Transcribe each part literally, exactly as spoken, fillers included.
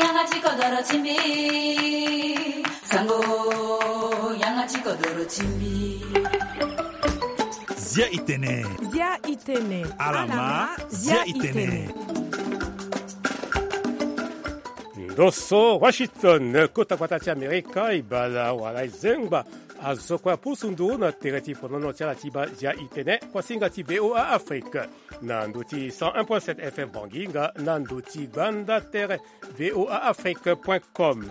Yanga ti kodoro ti mbi. Sango, yanga ti kodoro ti mbi. Zia itene. Zia itene. Alama, zia itene. Ndo so Washington, kota gbata ti Amerika, e bala wala e zengba azo kue apusu nduru na tere ti fonono ti ala ti baa zia itene, kuasinga ti V O A Afrique. Na ndo ti cent un point sept F M Bangui nga na ndo ti gbanda tere V O A Afrique point com.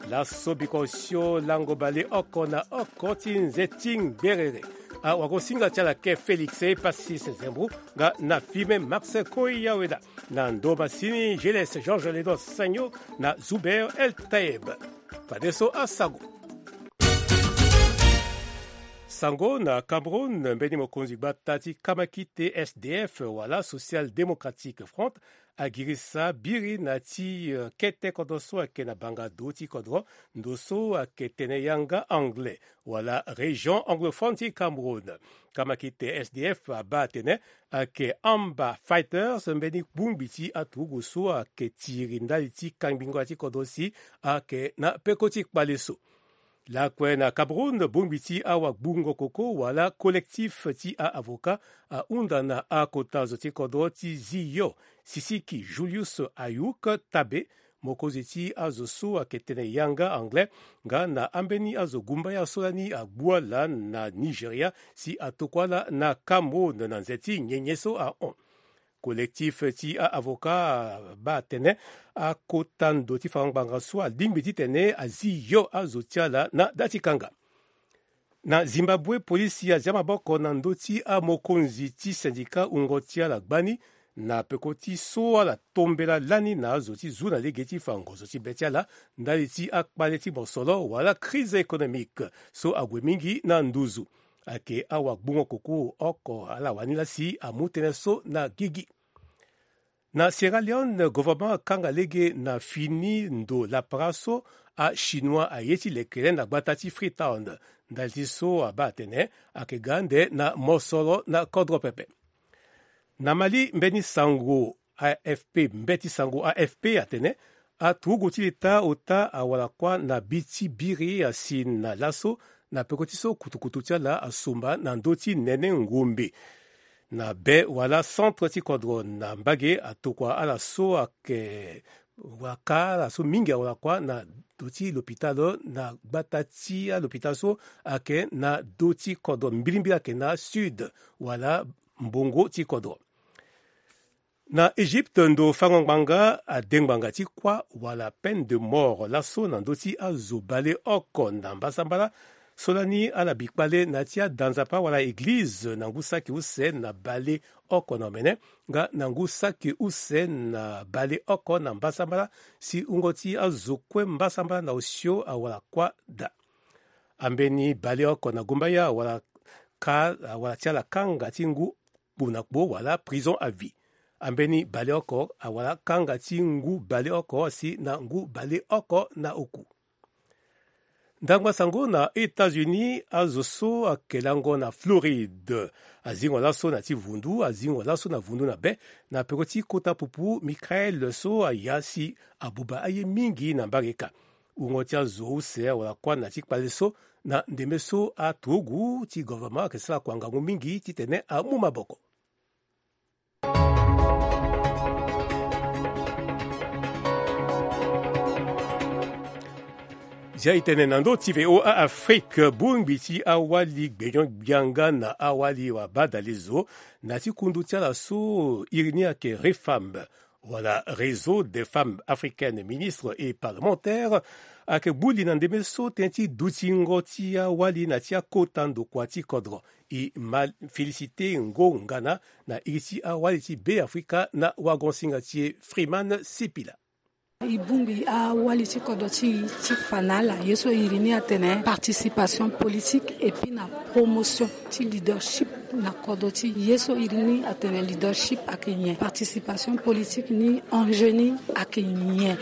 Laso biko osio lango baleoko na oko ti nze ti ngberere. Awagosinga ti ala ke Félix Passis Zembou nga na Fime Max Koyaweda. Na ndo masini Gilles Georges Ledo Sagno na Zuber El Taeb. Fadeso asango. Sango na Cameroun, mbeni mokonzi gbata ti kamakite S D F wala Social Démocratique Front agirisa biri na ti, eh, kete kodro so ayeke na banga do ti kodro, ndo so ayeke tene yanga anglais wala région anglophone ti Cameroun. Kamakite S D F abaa atene ayeke Amba Fighters, mbeni bongbi ti aturugu so ayeke tiri ndali ti kangbingo ya ti kodro si ayeke na peko ti kpale so. Lakue na Cameroun, bongbi ti awagbungo koko wala collectif ti a-avocat ahunda na akota zo ti kodro ti Ziyo, Sisiki Julius Ayuk Tabe, mokonzi ti azo so ayeke tene yanga anglais, nga na ambeni azo gumbaya so lani agbu ala na Nigeria si atokua ala na Cameroun na nze ti nyenye so ahon. Collectif ti a-avocat abaa atene akota ndo ti fango ngbanga so alingbi titene azi yo azo ti ala na da ti kanga. Na Zimbabwe, polisi azia maboko na ndö ti amokonzi ti syndicat wungo ti ala gbani na peko ti so ala tombela lani na azo ti zu na lege ti fa ngonzo ti be ti ala ndali ti akpale ti mosoro wala crise économique so ague mingi na nduzu. Ayeke awagbungo koko oko ala wani laa si amu tënë so na gigi. Na Sierra Leone, gouvernement akanga lege na fini ndo lapara so achinois aye ti lekere na gbata ti Freetown. Ndali ti so abaa atene ayeke ga ande na mosoro na kodro pepe. Na Mali, mbeni sango A F P, mbeti sango A F P atene aturugu ti leta ota awara kuâ na bi ti biri asi na laso na peko ti so kutukutu ti ala asomba na ndö ti nene ngombe. Na be wala centre ti kodro na mbage atokua ala so ayeke waka ala so mingi awara kuâ na ndö ti lopitalo na gbata ti alopitalo so ayeke na ndö ti kodro mbilimbili ayeke na sud wala mbongo ti kodro. Na Egypte, ndo fango ngbanga ade ngbanga ti kuâ wala peine de mort laso na ndö ti azo baleoko na mbasambala so lani ala bi kpale na ya ti ada nzapa wala eglize na ngu saki use na baleoko na omene nga na ngu saki use na baleoko na mbasambala si wungo ti azo kue mbasambala na osio awara kuâ daa. Ambeni baleoko na gumbaya awara ka awara ti ala kanga ti ngu kpo na kpo wala prison à vie. Ambeni baleoko awara kanga ti ngu baleoko si na ngu baleoko na oku. Ndangba sango na États-Unis, azo so ayeke lango na Floride azingo laso na ti vundu, azingo laso na vundu na be na peko ti kota pupu Michael so aya si abuba aye mingi na mbage ka. Wungo ti azo use awara kuâ na ti kpale so na ndembe so aturugu ti gouvernement ayeke sara kua ngangu mingi titene amu maboko. Zia e tene na ndö ti V O A Afrique, bongbi ti awali gbenyo-gbia nga na awali wabadalezo na ti kundu ti ala so iri ni ayeke REFAM, wala Réseau des Femmes Africaines Ministres et Parlementaires, ayeke gbu li na ndembe so tënë ti dutingo ti awali na ti akota ndokua ti kodro. E ma félicité ngongana na iri ti awali ti Beafrika na wagosinga ti e Freeman Sipila. E bongbi awali ti kodro ti e ti fa na ala ye so iri ni atene participation politique et puis na promotion ti leadership na kodro ti e. Ye so iri ni atene leadership ayeke nyen, participation politique ni enjeu ni ayeke nyen.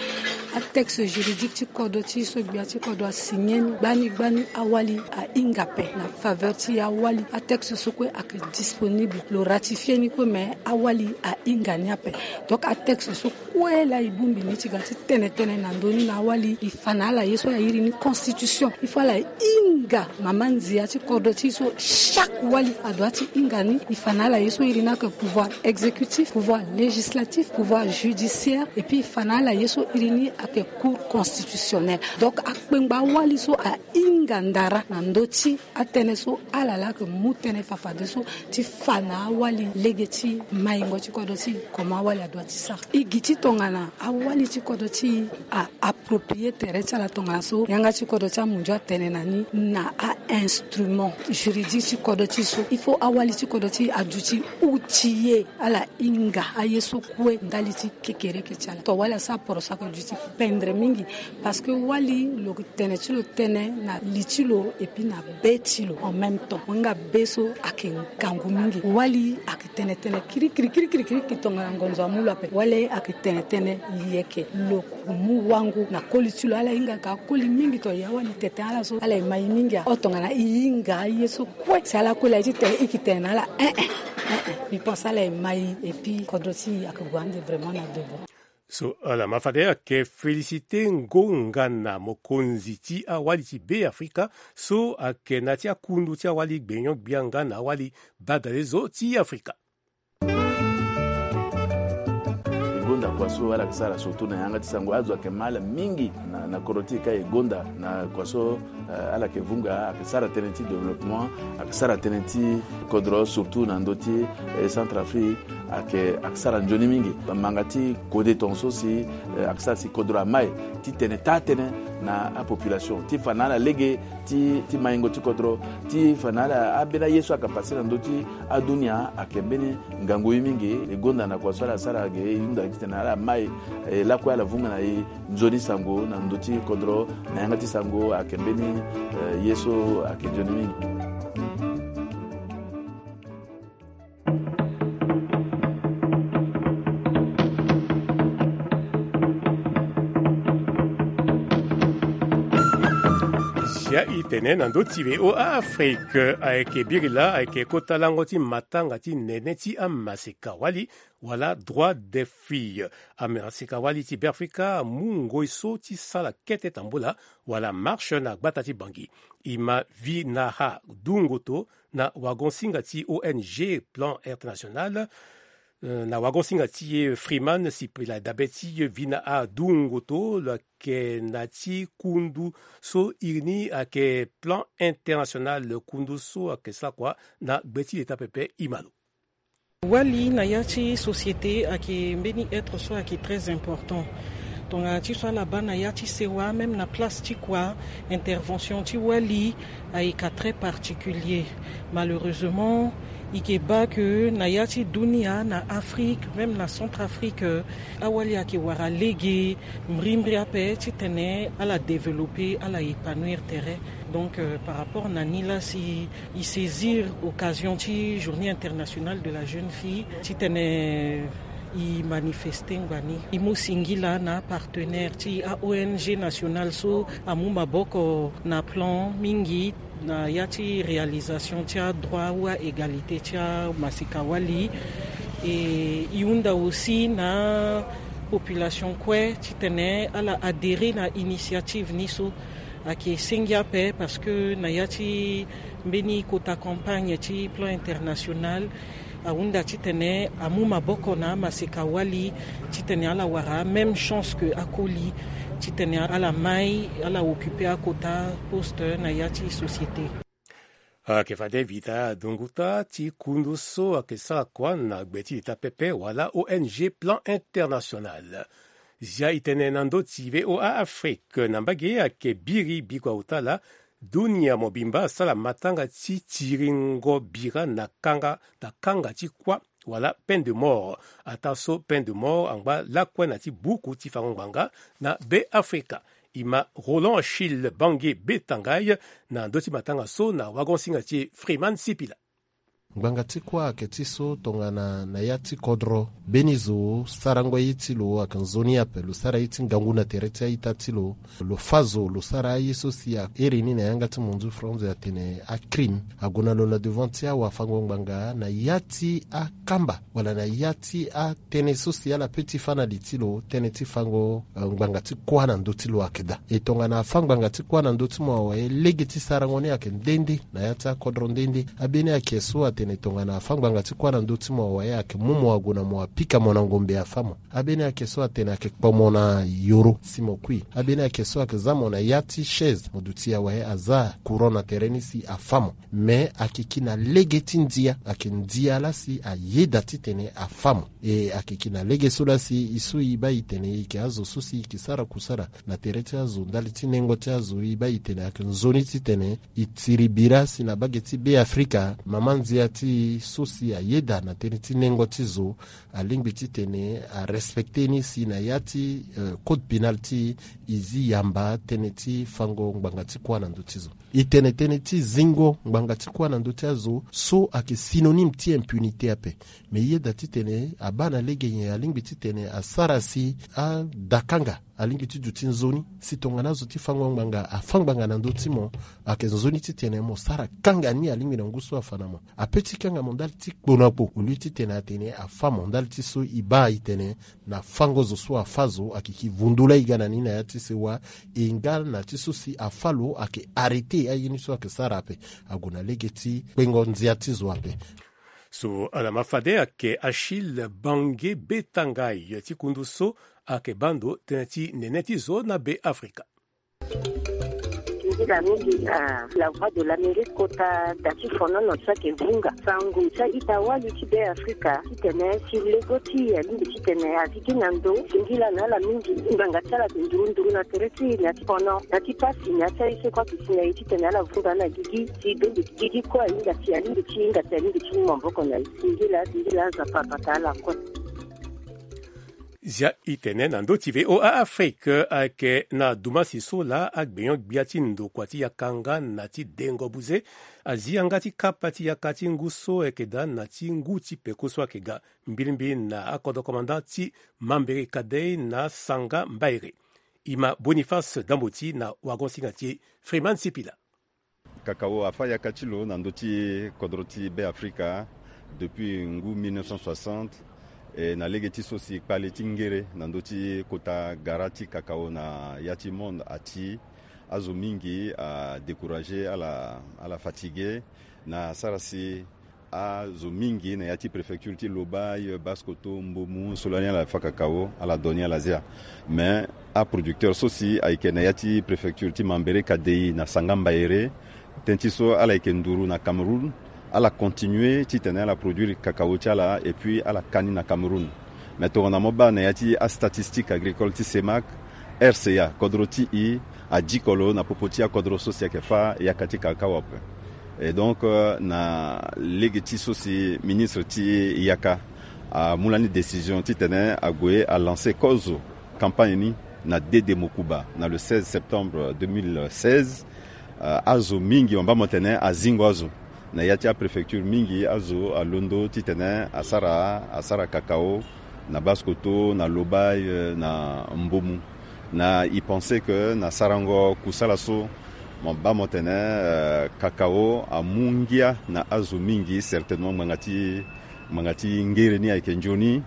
atexte juridique ti kodro ti e so gbia ti kodro asigné ni gbani gbani, awali ahinga ape na faveur ti e. Awali atexte so kue ayeke disponible, lo ratifié ni kue, mais awali ahinga ni ape. Donc atexte so kue laa e bongbi ni ti ga ti tene tënë na ndö ni na awali, e fa na ala ye so airi ni constitution. Il faut ala hinga mama nzia ti kodro ti e so chaque wali adoit ti hinga ni. E fa na ala ye so iri ni ayeke pouvoir exécutif, pouvoir législatif, pouvoir judiciaire, et puis e fa na ala ye so iri ni ayeke cour constitutionnelle. Donc akpengba awali so ahinga ndara na ndö ti atënë so ala laa ayeke mu tënë fafadeso ti fa na awali lege ti maingo ti kodro ti e, comment awali adoit ti sara. E gi ti tongana awali ti kodro ti e a approprié tere ti ala tongana so yanga ti kodro ti amundio atene na ni na a-instrument juridique ti kodro ti e so, il faut awali ti kodro ti e aduti outillé ala hinga aye so kue ndali ti kekereke ti ala. To wali asara poroso ayeke duti pendre mingi, parce que wali lo yeke tene ti lo tënë na li ti lo et puis na be ti lo en même temps. Mo hinga be so ayeke ngangu mingi. Wali ayeke tene tënë kirikiri kirikiri kirikiri tongana ngonzo amu lo ape. Wali ayeke tene tënë yeke lo mu wangu na koli ti lo. Ala hinga ka koli mingi, to ya wali tete ala so ala ye mai mingi a. O tongana e hinga aye so kue si ala kue laa ti tene, e yeke tene na ala eh eh eh eh, mbi pense ala ye mai. Et puis kodro ti e ayeke gue ande vraiment na devant. So ala ma fade ayeke félicité ngonga na mokonzi ti awali ti Beafrika so ayeke na ti akundu ti awali gbenyo-gbia nga na awali badalezo ti Afrika. E gonda kua so ala yeke sara surtout na yanga ti sango. Azo ayeke ma ala mingi na, na kodro ti e ka e gonda na kua so, eh, ala yeke vunga, ayeke sara tënë ti développement, ayeke sara tënë ti kodro surtout na ndö ti, eh, Centrafrique, ayeke, ayeke sara nzoni mingi. Manga ti kode tongaso si, eh, ayeke sara si kodro amai ti tene taa tënë na apopulation ti fa na ala lege ti, ti maingo ti kodro, ti fa na ala ambeni aye so ayeke pase na ndö ti adunia ayeke mbeni ngangu ye mingi. E gonda na kua so ala sara ge, e hunda titene ala mai, eh, lakue ala vunga na e nzoni sango na ndö ti kodro na yanga ti sango ayeke mbeni, eh, ye so ayeke nzoni mingi. Zia e tene na ndö ti V O A Afrique, ayeke biri laa ayeke kota lango ti matanga ti nene ti amaseka wali, wala droit des filles. Amaseka wali ti Beafrika amu ngoi so ti sala kete tambula wala marche na gbata ti Bangui. E ma Vinaha Dungoto na wagon-singa ti O N G Plan International, eh, na wagon-singa ti Freeman Sipila. Dabe ti Vinaha Dungoto, lo yeke na ti kundu so iri ni ayeke Plan International, kundu so ayeke sara kua na gbe ti leta pepe. E ma lo. Wali na ya ti société ayeke mbeni être so ayeke très important. Tongana ti so ala baa na ya ti sewa, même na place ti kua, intervention ti wali ayeke très particulier. Malheureusement, e yeke baa que na ya ti dunia, na Afrique, même na Centrafrique, awali ayeke wara lege mbirimbiri ape titene ala développer, ala épanouir tere. Donc, euh, par rapport na ni laa si e saisir occasion ti Journée internationale de la jeune fille titene e manifester ngbani. E mu singila na apartenaire ti a-O N G nationale so amu maboko na plan mingi na ya ti réalisation ti adroit ou aégalité ti amaseka wali. E e hunda aussi na population kue titene ala adhérer na initiative ni so. Ayeke sengi ape parce que na ya ti mbeni kota campagne ti plan international ahunda titene amu maboko na amaseka wali titene ala wara même chance que akoli, titene ala mai ala occuper akota poste na ya ti société. Ayeke fade Vinaha Dungoto ti kundu so ayeke sara kua na gbe ti leta pepe wala O N G Plan International. Zia e tene na ndö ti V O A Afrique, na mbage ayeke biri bikua ota laa dunia mobimba asara matanga ti tiringo bira na kanga, na kanga ti kuâ wala peine de mort. Ataa so peine de mort angba lakue na ti buku ti fango ngbanga na Beafrika. E ma Roland Achille Bangui Betangay na ndö ti matanga so na wagon-singa ti Freeman Sipila. Ngbanga ti kuâ ayeke ti so tongana na ya ti kodro mbeni zo sarango ye ti lo ayeke nzoni ape. Lo sara ye ti ngangu na tere ti a-ita ti lo. Lo fâ zo, lo sara aye so si a iri ni na yanga ti munzu France atene acrime. Ague na lo na devant ti awafango-ngbanga na ya ti akamba wala na ya ti atënë so si ala peut ti fâ na li ti lo, tënë ti fango, eh, ngbanga ti kuâ na ndö ti lo ayeke daa. E tongana afâ ngbanga ti kuâ na ndö ti mo awe, lege ti sarango ni ayeke nde nde na ya ti akodro nde nde. Ambeni ayeke so atene tongana afâ ngbanga ti kuâ na ndö ti mo awe, ayeke mu mo ague na mo, apika mo na ngombe, afâ mo. Ambeni ayeke so atene ayeke kpo mo na yoro si mo kui. Ambeni ayeke so ayeke zia mo na ya ti chaise, mo duti awe, azia courant na tere ni si afâ mo. Me ayeke ki na lege ti ndia, ayeke ndia laa si ayeda titene afâ mo. E ayeke ki na lege so laa si e so e baa e tene e yeke azo so si e yeke sara kusala na tere ti azo ndali ti nengo ti azo, e baa e tene ayeke nzoni titene e tiri bira si na mbage ti Beafrika, mama ndia ti e so si ayeda na tënë ti nengo ti zo, alingbi titene arespecte ni si na ya ti, eh, code pénal ti e, e zi yamba tënë ti fango ngbanga ti kuâ na ndö ti zo. E tene tënë ti zingo ngbanga ti kuâ na ndö ti azo so ayeke synonyme ti impunité ape. Me e yeda titene abaa na lege nyen, alingbi titene asara si ada kanga alingbi ti duti nzoni. Si tongana azo ti fango ngbanga afâ ngbanga na ndö ti mo, ayeke nzoni titene mo sara kanga ni alingbi na ngu so afa na mo. Apeut ti kanga mo ndali ti kpo na kpo, au lieu titene atene afâ mo ndali ti so e baa e tene na fango zo so afâ zo, ayeke ki vundu laa e ga na ni na ya ti sewa, e nga na ti so si afâ lo ayeke arrêté aye ni so ayeke sara ape. Ague na lege ti kpengo ndia ti zo ape. So ala ma fade ayeke Achille Bange Betangai ti kundu so ayeke baa ndo tënë ti nene ti zo na Beafrika. Nzila mingi na La Voix de l'Amérique kota da ti fonono so ayeke vunga sango ti a-ita wali ti Beafrika titene si lego ti e alingbi titene azi gi na ndo. Singila na ala mingi ngbanga ti ala ayeke nduru nduru na tere ti e na ya ti fono, na ya ti pasi, na ya ti aye so kue ayeke si na e titene ala vunga na gigi si bende gigi kue ahinga si alingbi ti hinga si alingbi ti mu maboko na e. Singila, singila, Nzapa abata ala kue. Zia e tene na ndö ti V O A Afrique ayeke na dumasi so laa agbenyo-gbia ti ndokua ti yaka nga na ti dengo buze azi yanga ti kapa ti yaka ti ngu so ayeke daa na ti ngu ti peko so ayeke ga mbilimbili na akodro komanda ti Mambere Kadei na Sanga Mbaere. E ma Boniface Damboti na wagon-singa ti e Freeman Sipila. Kakao afâ yaka ti lo na ndö ti kodro ti Beafrika depuis ngu mille neuf cent soixante. E na lege ti so si kpale ti ngere na ndö ti kota gara ti kakao na ya ti monde ati, azo mingi adécouragé, ala, ala fatigué na sara si azo mingi na ya ti préfecture ti Lobaye, Basse-Kotto, Mbomou, so lani ala fâ kakao, ala do ni ala zia. Mais aproducteur so si ayeke na ya ti préfecture ti Mambere Kadei na Sanga Mbaere, tënë ti so ala yeke nduru na Cameroun, ala continué titene ala produire kakao ti ala et puis ala ka ni na Cameroun. Mais tongana mo baa na ya ti astatistique agricole ti CEMAC, R C A, kodro ti e, adiko lo na popo ti akodro so si ayeke fâ yaka ti kakao ape. Et donc, euh, na lege ti so si ministre ti yaka amu lani décision titene ague alancé kozo campagne ni na Dede Mokuba na le seize septembre deux mille seize. Euh, azo mingi, mo baa mo tene azingo azo. Na ya ti apréfecture mingi azo alondo titene asara, asara kakao na Basse-Kotto, na Lobaye, euh, na Mbomou. Na e pensé que na sarango kusala so, mo baa mo tene, euh, kakao amu ngia na azo mingi, certainement ngbanga ti, ngbanga ti ngere ni ayeke nzoni.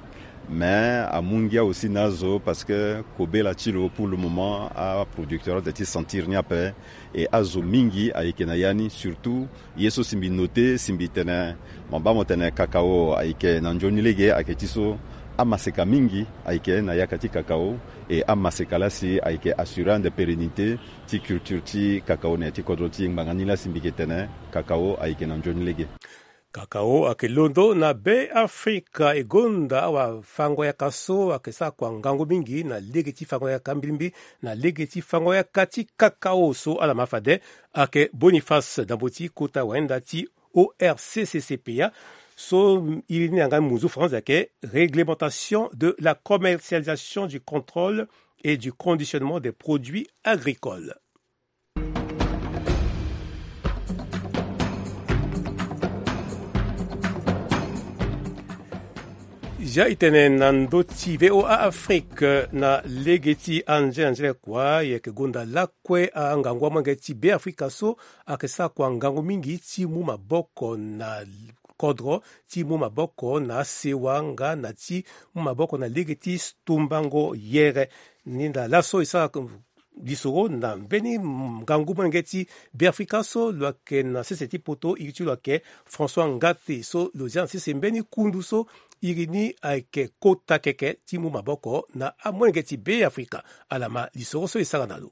Mais amu ngia aussi na azo parce que kobela ti lo pour le moment aproducteur adoit ti sentir ni ape. Et azo mingi ayeke na ya ni, surtout ye so si mbi noté, si mbi tene, mo baa mo tene kakao ayeke na nzoni lege, ayeke ti so amaseka mingi ayeke na yaka ti kakao. Et amaseka laa si ayeke assurer ande pérennité ti culture ti kakao na ya ti kodro ti e. Ngbanga ni laa si mbi yeke tene kakao ayeke na nzoni lege. Kakao ayeke londo na Beafrika. E gonda awafango-yaka so ayeke sara kua ngangu mingi na lege ti fango-yaka mbilimbili na lege ti fango-yaka ti kakao so ala ma fade ayeke Boniface Damboti, kota wayenda ti O R C C C P A, so iri ni na yanga munzu France ayeke Réglementation de la commercialisation, du contrôle et du conditionnement des produits agricoles. Ya e tene na ndö ti V O A Afrique na lege ti anzere anzere kua, e yeke gonda lakue angangu amolenge ti Beafrika so ayeke sara kua ngangu mingi ti mu maboko na kodro, ti mu maboko na asewa nga na ti mu maboko na lege ti tumbango yere. Ni na laso e sara lisoro na mbeni ngangu molenge ti Beafrika so lo yeke na sese ti poto, iri ti lo ayeke François Ngate, so lo zia na sese mbeni kundu so iri ni ayeke kota keke ti mu maboko na amolenge ti Beafrika. Ala ma lisoro so e sara na lo.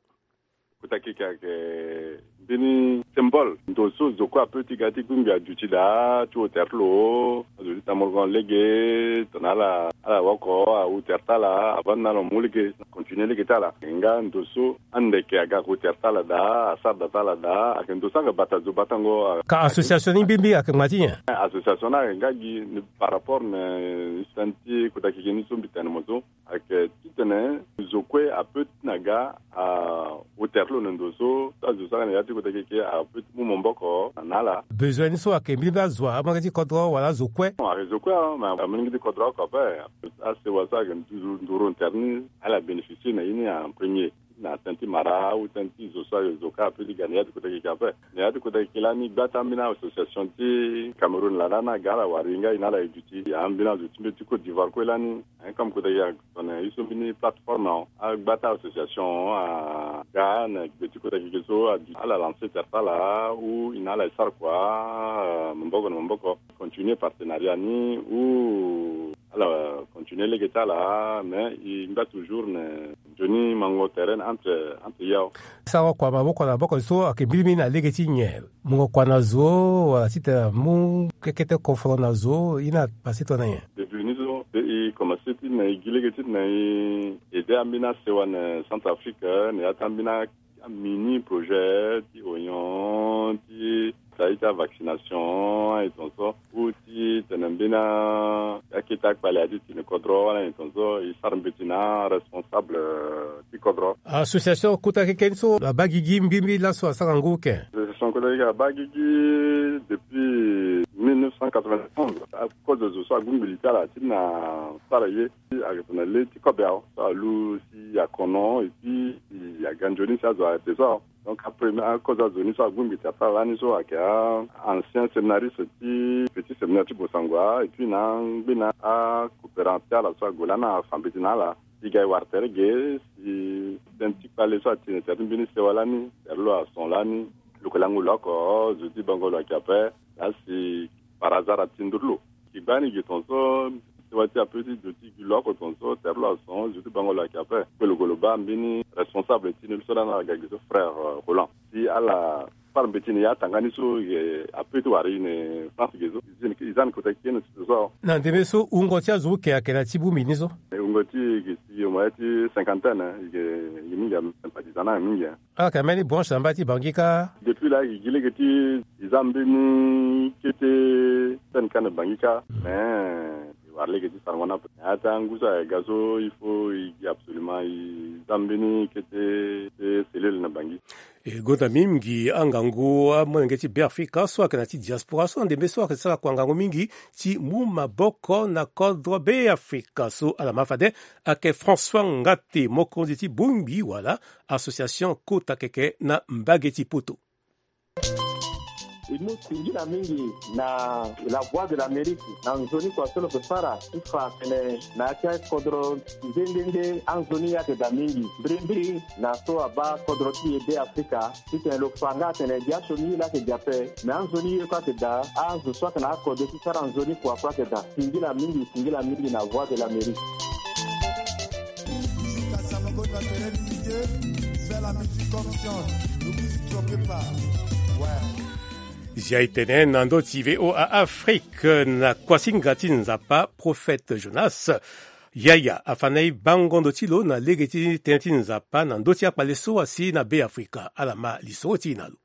Kota keke ayeke mbeni symbole. Ndo so zo kue ape ti ga ti gungbi aduti daa ti ota tere ti lo. Azo ti tambolo lege tongana ala, ala woko awu tere ti ala, avant ni na ala mu lege, continue lege ti ala. Nga ndo so ande yeke aga ko tere ti ala daa, asara da ti ala daa, ayeke ndo so ayeke bata zo batango. Ka association ni mbi mbi ayeke ngba ti nyen? Association ni ayeke nga gi ni par rapport na histoire ti kota keke ni so mbi tene mo so. Ayeke titene zo kue ape ti na ga awu tere ti lo na ndo so, so azo so ayeke na ya ti kota keke ape ti mu maboko na ala. Besoin ni so ayeke mbeni azo, amolenge ti kodro wala azo kue? Ayeke zo kue, me amolenge ti kodro oko ape. Asewa so ayeke nduru, nduru tere ni, ala bénéficier na ye ni en premier. Na tënë ti mara ou tënë ti zo so ayeke zo kâ ape ti ga na ya ti kota keke ape. Na ya ti kota keke lani gba ti ambeni association ti Cameroun laa ni aga ala wara e nga e na ala e duti. Ambeni azo ti mbeti ti Côte d'Ivoire kue lani. Hein, comme kota keke atene ye so mbeni plateforme, agba ti association aga na gbe ti kota keke so aduti, ala lancer tere ti ala ou e na ala e sara kua, euh, maboko na maboko. Continuer partenariat ni ou ala continuer lege ti ala, mais e ngba toujours na nzoni mango tere entre, entre yao. Sara kua maboko na maboko so ayeke mbirimbiri na lege ti nyen? Mungo kua na zo, wala titene amu kekete koforo na zo, ye ni apase tongana nyen? Depuis ni so e commencer ti na e gi lege ti na e aider ambeni asewa na Centrafrique, na ya ti ambeni a mini projet ti oignon, ti sara ti avaccination, aye tongaso ou ti tene mbeni akete akpale aye ti tene kodro wala aye tongaso, e sara mbeti na aresponsable ti kodro. Association kota keke ni so abaa gigi mbirimbiri laso asara ngu ke? Association kota keke abaa gigi depuis mille neuf cent quatre-vingt-onze. Akozo zo so agungbi li ti ala ti na sara ye. Ayeke tongana le ti kobe awe so alu si akono et puis aga nzoni si azo ayeke so awe. Donc apremier akozo azo ni so agungbi tere ti ala lani so ayeke a ancien séminariste ti petit séminaire ti Bossangoa et puis na ngbene acoopérant ti ala so ague lani afa mbeti na ala. E ga e wara tere ge si tënë ti kpale so atene tere ti mbeni sewa lani, tere lo ason lani. Lo yeke lango lo oko, zo ti bango lo ayeke ape. Laa si par hasard ati nduru lo. Ki gbani gi tongaso sewa ti ape ti zo ti gi lo oko tongaso tere lo ason, zo ti bango lo ayeke ape. Kue lo gue lo baa mbeni responsable ti ni so lani ala ga gi so frère, euh, Roland. Si ala sara mbeti na e atanga ni so, e, ape ti wara e na France ge so. E za ni kota keke na ti zo so. Na ndembe so wungo ti azo oke ayeke na ti bongbi ni so? E, wungo ti e ge si e mo ya ti cinquantaine, e ge, e ge mingi, ape ti za na mingi. Ala yeke na mbeni branche na mbage ti Bangui kâ? Depuis laa e gi lege ti e za mbeni kete sene kâ na Bangui kâ. Mais e wara lege ti sarango ni ape. Na ya ti angu so ayeke ga so il faut e gi absolument e za mbeni kete, kete cellule na Bangui. E gonda mingi angangu amolenge ti Beafrika so ayeke na ti diaspora so na ndembe so ayeke sara kua ngangu mingi ti mu maboko na kodro Beafrika so. Ala ma fade ayeke François Ngate, mokonzi ti bongbi wala association kota keke na mbage ti poto. E mu singila mingi na La Voix de l'Amérique na nzoni kua so lo yeke sara ti fa atene na ya ti akodro nde nde nde anzoni ye ayeke daa mingi. Mbirimbiri na so abaa kodro ti e Beafrika titene lo fa nga atene gi asioni ye laa ayeke gi ape, me anzoni ye kue ayeke daa, azo so ayeke na akode ti sara nzoni kua kue ayeke daa. Singila mingi, singila mingi na Voix de l'Amérique. Musique à Samagona, c'est l'M D J, fais la musique comme Sion, ne vous y trompez pas. Ouais. Zia e tene na ndö ti V O A Afrique na kuasinga ti Nzapa, Prophète Jonas Yaya afa na e bango ndo ti lo na lege ti tënë ti Nzapa na ndö ti akpale so asi na Beafrika. Ala ma lisoro ti e na lo.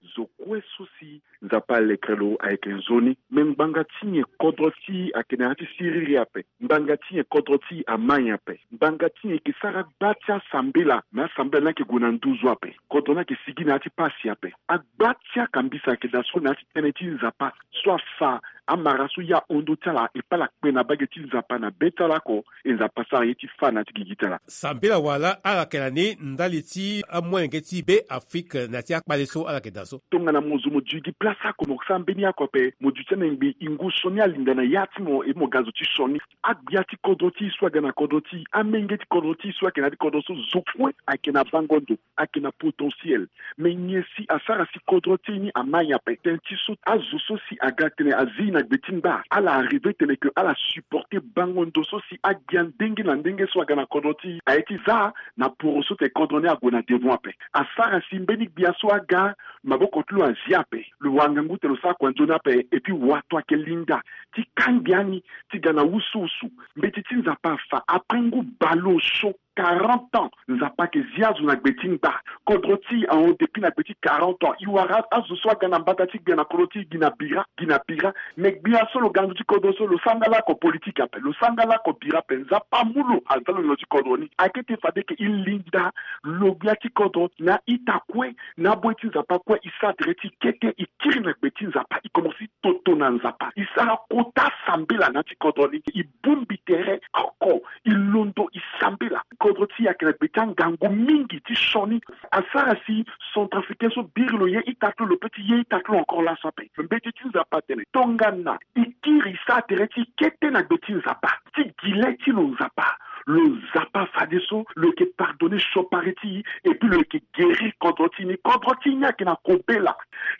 Zo kue so si Nzapa alekre lo ayeke nzoni. Me ngbanga ti nyen kodro ti e ayeke na ya ti siriri ape? Ngbanga ti nyen kodro ti e ama nyen ape? Ngbanga ti nyen e yeke sara gba ti asambela, me asambela ni ayeke gue na nduzu ape? Kodro ni ayeke sigi na ya ti pasi ape? Agba ti akambisa ayeke daa so na ya ti tënë ti Nzapa so afa amara so ye ahon ndö ti ala e paa ala kpe na mbage ti Nzapa na be ti ala oko. E Nzapa sara ye ti fâ na ya ti gigi ti ala. Sambela wala ala yeke na ni ndali ti amolenge ti Beafrika na ya ti akpale so ala yeke daa so? Tongana mo zo mo duti gi place oko, mo sara mbeni oko ape, mo duti amengbe, e ngu sioni alinda na ya ti mo, e mo ga zo ti sioni. Agbia ti kodro ti e so aga na kodro ti e, amenge ti kodro ti e so ayeke na ya ti kodro so, zo kue ayeke na bango ndo, ayeke na potentiel. Me nyen si asara si kodro ti e ni ama nyen ape? Tënë ti so azo so si aga tene azi na gbe ti ngba, ala arrive tene ke ala supporter bango ndo so si agbia ndenge na ndenge so aga na kodro ti e aye ti za na poro so tene kodro ni ague na devant ape. Asara si mbeni gbia so aga, maboko ti lo azi ape, lo wara ngangu tene lo sara kua nzoni ape, et puis wato ayeke linda ti kangbi ani ti ga na wusuwusu. Mbeti ti Nzapa afa, après ngu baleosio, quarante ans, Nzapa ayeke zi azo na gbe ti ngba. Kodro ti e ahon depuis na gbe ti quarante ans. E wara azo so aga na mbata ti gbia na kodro ti e gi na bira, gi na bira. Me gbia so lo ga na ndö ti kodro so, lo sara nga lako politike ape, lo sara nga lako bira ape. Nzapa amu lo, aza lo na ndö ti kodro ni. Ayeke ti fade ke e linda lo gbia ti kodro na ita kue, na aboyi ti Nzapa kue, e sara tere ti e kete, e kiri na gbe ti Nzapa, e komanse toto na Nzapa, e sara kota sambela na ya ti kodro ni, e bongbi tere oko, e londo, e sambela. Kodro ti e ayeke na gbe ti angangu mingi ti sioni. Asara si Centrafricain so biri lo ye ita ti lo, lo peut ti ye ita ti lo encore laso ape. Mbeti ti Nzapa atene tongana e kiri, e sara tere ti e kete na gbe ti Nzapa, ti gi le ti lo Nzapa, lo Nzapa fadeso lo yeke pardonner siokpari ti e, et puis lo yeke guérir kodro ti e ni. Kodro ti e ni ayeke na kobela.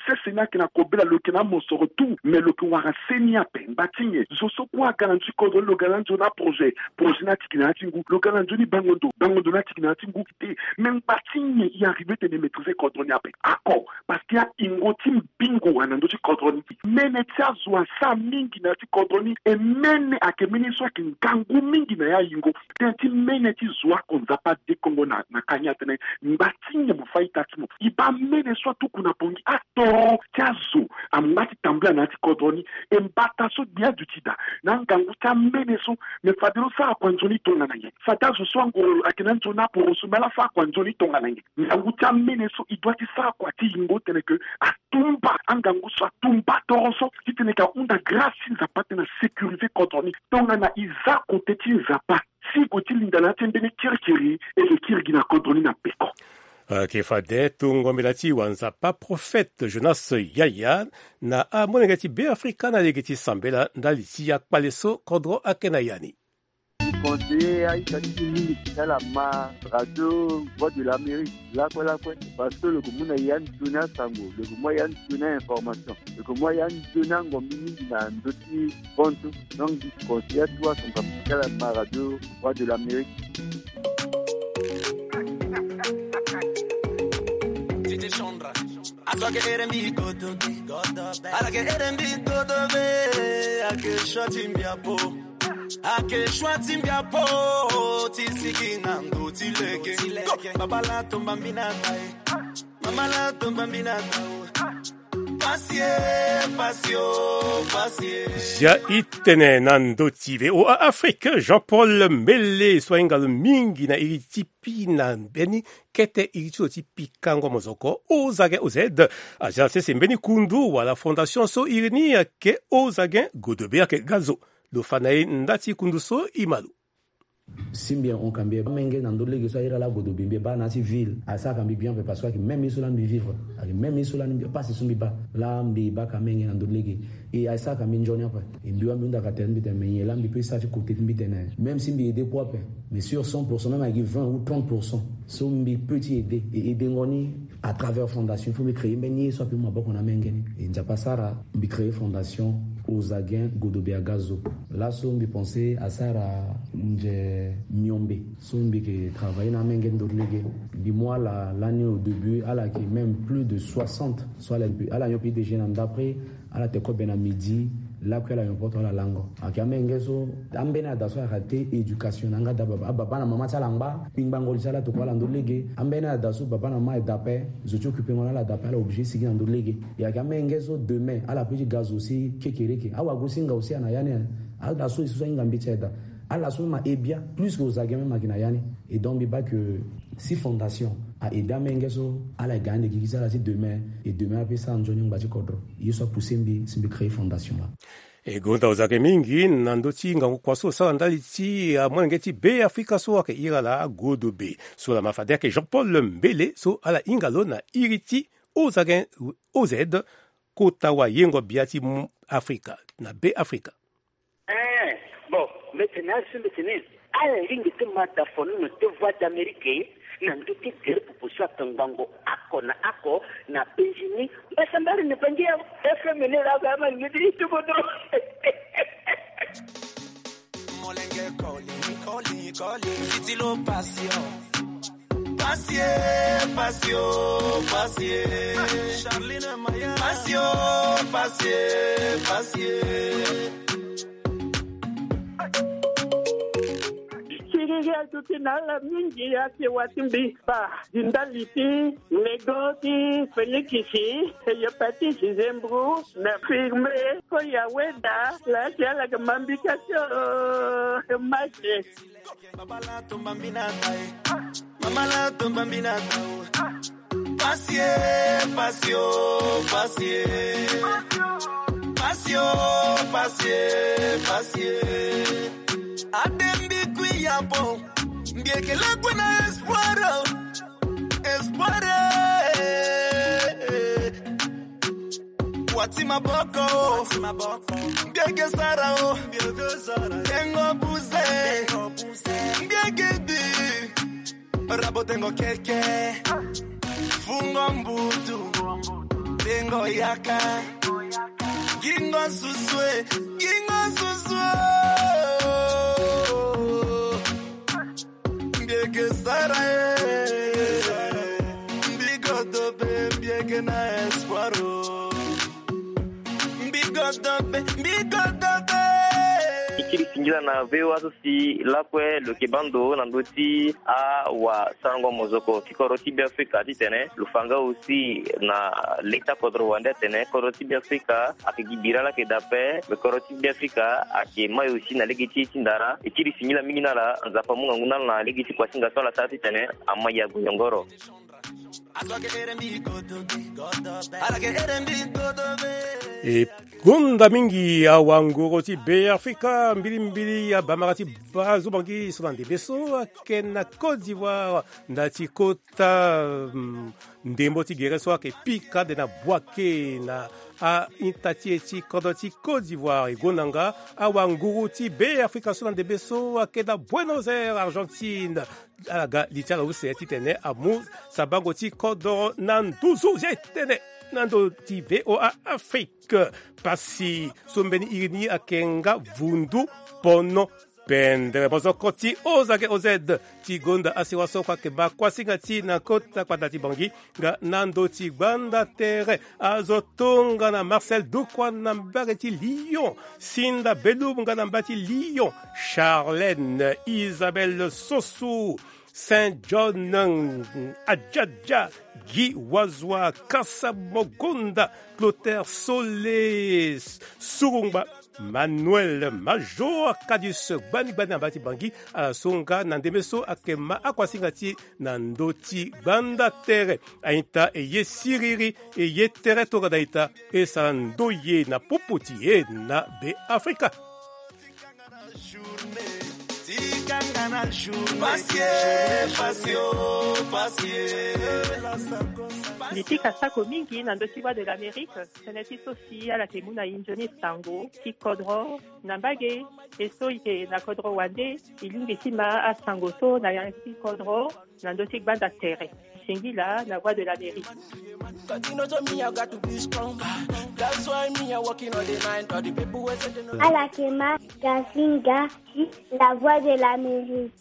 Sese ni ayeke na kobela, lo yeke na amosoro tout, me lo yeke wara se ni ape. Ngba ti nyen? Zo so kue aga na ndö ti kodro ni, lo ga na nzoni aprojet, projet ni atiki na ya ti ngu. Lo ga na nzoni bango ndo, bango ndo ni atiki na ya ti ngu. Te, me ngba ti nyen e arrive tene e maîtriser kodro ni ape? Oko, parce que ayingo ti mbingo wara na ndö ti kodro ni. Mene ti azo asara mingi na ya ti kodro ni, e mene ayeke mene so ayeke ngangu mingi na ya yingo. Tënë ti mene ti zo oko, Nzapa adekongo na, na kani atene, ngba ti nyen mo fâ ita ti mo? E baa mene so atuku na Bangui, atoro ti azo angba ti tambula na ya ti kodro ni. E mbata so gbia aduti daa na angangu ti amene so. Me fade lo sara kua nzoni tongana nyen? Fade azo so angoro ayeke na nzoni aporo so, me ala sara kua nzoni tongana nyen? Ngangu ti amene so, e doit ti sara kua ti yingo tene ke atumba angangu so, atumba toro so, titene ke ahunda grâce ti Nzapa titene asécuriser kodro ni. Tongana e za kote ti Nzapa, si e gue ti linda na ya ti mbeni kirikiri, e yeke kiri gi na kodro ni na peko. Ayeke fade tongo mbela ti wa Nzapa prophète Jonas Yaya na amolenge ti Beafrika na lege ti sambela ndali ti akpale so kodro ayeke na ya ni. Ti conseiller aita ti mbi mingi ti tala ma radio Voix de l'Amérique lakue lakue, parce que lo yeke mu na ya nzoni asango, lo yeke mu ya nzoni a-information, lo yeke mu ya nzoni angombi mingi na ndö ti bantu. Donc mbi conseiller atu asango mbi ti tala ma radio Voix de l'Amérique. Azo ake ere mbi godobe. Ala ke ere mbi godobe. Ake shwa ti mbi apo. Ake shwa ti mbi apo. Ti sigi na ndo ti lege. Babala tomba mbi na tai. Mamala tomba mbi na tai. Pasi e, pasi o, pasi e. Ya itene na ndo ti V O A Afrique, Jean-Paul Mele so ahinga lo mingi na iri ti pi na mbeni kete iri ti lo ti pikango mozoko, Ozagen O Z. Aza na sese mbeni kundu wala fondation so iri ni ayeke Ozagen Godobe ayeke ga zo. Lo fa na e nda ti kundu so, e ma lo. Si mbi hon ka mbi baa menge na ndö ti lege so airi ala Godobe, mbi baa na ya ti ville, asara ka mbi bien ape parce que ayeke même ye so laa mbi vivre, ayeke même ye so laa ni mbi, pasi so mbi baa laa mbi baa ka menge na ndö ti lege. E asara ka mbi nzoni ape. E mbi wâ mbi hunda ka tene mbi tene me nyen laa mbi peut sara ti kote ti mbi tene. Même si mbi aider kue ape, mais sur cent pour cent, même ayeke vingt ou trente pour cent so mbi peut ti aider, e aidengo ni à travers fondation, il faut mbi créer mbeni ye so ape mu maboko na amenge ni. E Nzapa asara mbi créer fondation Ozagen Godobe aga zo. Laso mbi pense asara nze miombe so mbi yeke travailler na amenge ndö ti lege. Mbi mu ala lani au début, ala yeke même plus de soixante. So ala, ala nyon pe déjà na ndapre, ala tene kobe na midi, Lakue ala yompoto ala lango. Ayeke amenge so ambeni ada so ayeke te éducation na yanga da baba. Ababa na mama ti ala angba, kpingbango li ti ala tokua ala ndo lege. Ambeni ada so baba na mama ayeke da ape, zo ti occupé ngo na ala da ape, ala obligé sigi na ndo lege. Ayeke amenge so demain ala peut ti ga zo si kekereke. Awagosinga aussi ana ya ni. Ala so e so so ahinga mbi ti aye daa. Ala so ma e bien plus que ozage même ayeke na ya ni. Et donc mbi baa que si fondation a aidé amenge so ala ga ande gigi ti ala ti demain, et demain ape sara nzoni angba ti kodro. Ye so apoussé mbi si mbi créé fondation laa. E gonda ozage mingi na ndö ti ngangu kua so osara ndali ti amolenge ti Be Afrika so ayeke iri ala Godobe so laa ma fade ayeke Jean Paul Mbele so ala hinga lo na iri ti O Z N, O Z, kota wayengo bia ti Afrika na Be Afrika. Eh, bon, mbeti na asu mbeti ni. Ala lingbi ti ma da fonono ti Voix d'Amérique na ndö ti gere pupu so atongbango oko na oko na Benjini. Mbasambari ni bangi ya F M ni la ba ma lingbi ti tubudro. Molenge calling, calling, calling. Fiti lo passion. Passion, passion, passion. Charlene Maya. Passion, passion, passion. Siriri aduti na ala mingi ake wati mbi pa di ndali ti lego ti Félix, Hépatite, Zembro, na Firme, Koya Weda, la ti ala ke mambika tio, mache. Mama la tomba mbi na ta e. Mama la tomba mbi na ta o. Pasie, pasio, pasie. Pasio, pasie, pasie. Ade mbi kui ya bon. Mbi eke lakue na espoir o. Espoir, eh. Wati maboko o. Mbi eke sara o. Tengo buze. Mbi eke bi. Rabo tengo keke. Fungo mbutu. Tengo yaka. Gingo susue. Gingo susue. Mbi eke sara e. Mbi godo be, mbi eke na espoir o. Mbi godo be, mbi godo be. E kiri singila na V O A so si lakue lo yeke baa ndo na ndö ti awasarango mozoko ti kodro ti Be Afrika titene lo fa nga aussi na leta kodro wande atene kodro ti Be Afrika ayeke gi bira laa ayeke daa ape, me kodro ti Be Afrika ayeke mai aussi na lege ti e ti ndara. E kiri singila mingi na ala, Nzapa amu ngangu na ala na lege ti kuasinga so ala sara titene amai ague yongoro. E gonda mingi awanguru ti Be Afrika, mbilimbili abamara ti baa zo bangi so na ndembe so ayeke na Côte d'Ivoire, nda ti kota, mm, ndembo ti gere so ayeke pika ande na Bouaké na a-ita ti e ti kodro ti Côte d'Ivoire. E gonda nga awanguru ti Be Afrika so na ndembe so ayeke na Buenos Aires, Argentine. Ala ga li ti ala use titene amu sabango ti kodro na nduzu ye tene na ndö ti V O A Afrique. Pasi so mbeni iri ni ayeke nga vundu pono pendere. Mozoko ti O Z K O Z ti gonda asewa so kue ayeke baa kuasinga ti e na kota kpanda ti Bangui nga na ndö ti gbanda tere. Azo tongana Marcel Doukoua na mbage ti Lyon, Sinda Belum nga na mbage ti Lyon, Charlène, Isabelle Sossou, Saint John, Adjadja, Guy Wazwa, Kasa Mogonda, Clotaire Sole, Surungba, Manuel Major, Kadis, gbani gbani na mbage ti Bangui. Ala so nga na ndembe so ayeke ma akuasinga ti e na ndö ti gbanda tere. A-ita e ye siriri, e ye tere tongana a-ita, e sara ndoye na popo ti e na Be Afrika. Mbi pika sako mingi na ndö ti Voix de l'Amérique, tënë ti so si ala yeke mu na e nzoni sango ti kodro na mbage, e so e yeke na kodro wande, e lingbi ti ma asango so na yanga ti kodro na ndö ti gbanda tere. Singila na Voix de l'Amérique. Ala yeke ma Gazinga ti La Voix de l'Amérique.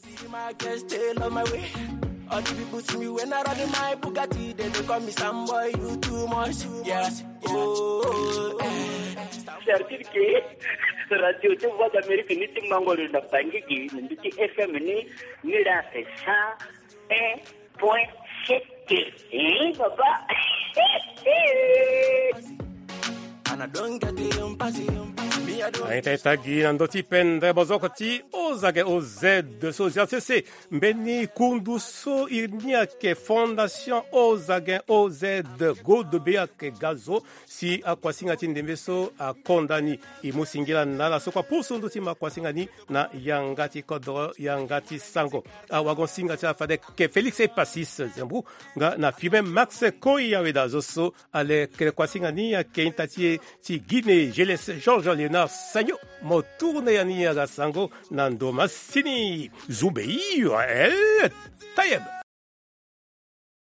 Certitude ke radio ti Voix d'Amérique ni ti mango lo na Bangui gi na ndö ti F M ni, ni la c'est cent un point sept. Eh, papa. Ana don gadi mpasi. Aita ita gi na ndö ti pendre bozoko ti Ozagen O Z so zia sese. Mbeni kundu so iri ni ayeke Fondation Ozagen O Z, godo be ayeke ga zo si akuasinga ti ndembe so akonda ni. E mu singila na ala so kue apusu ndö ti ma kuasinga ni na yanga ti kodro, yanga ti sango. Awagon-singa ti ala fade ayeke Félix Epacis Zembrou nga na Firmin Max Koyaweda zo so ale kele kuasinga ni ayeke ita ti e ti Guinée, Geles Georges Léonard Sagno. Mo tourne ya ni aga sango na ndo masini. Zumbe iyo, eh, tayeb.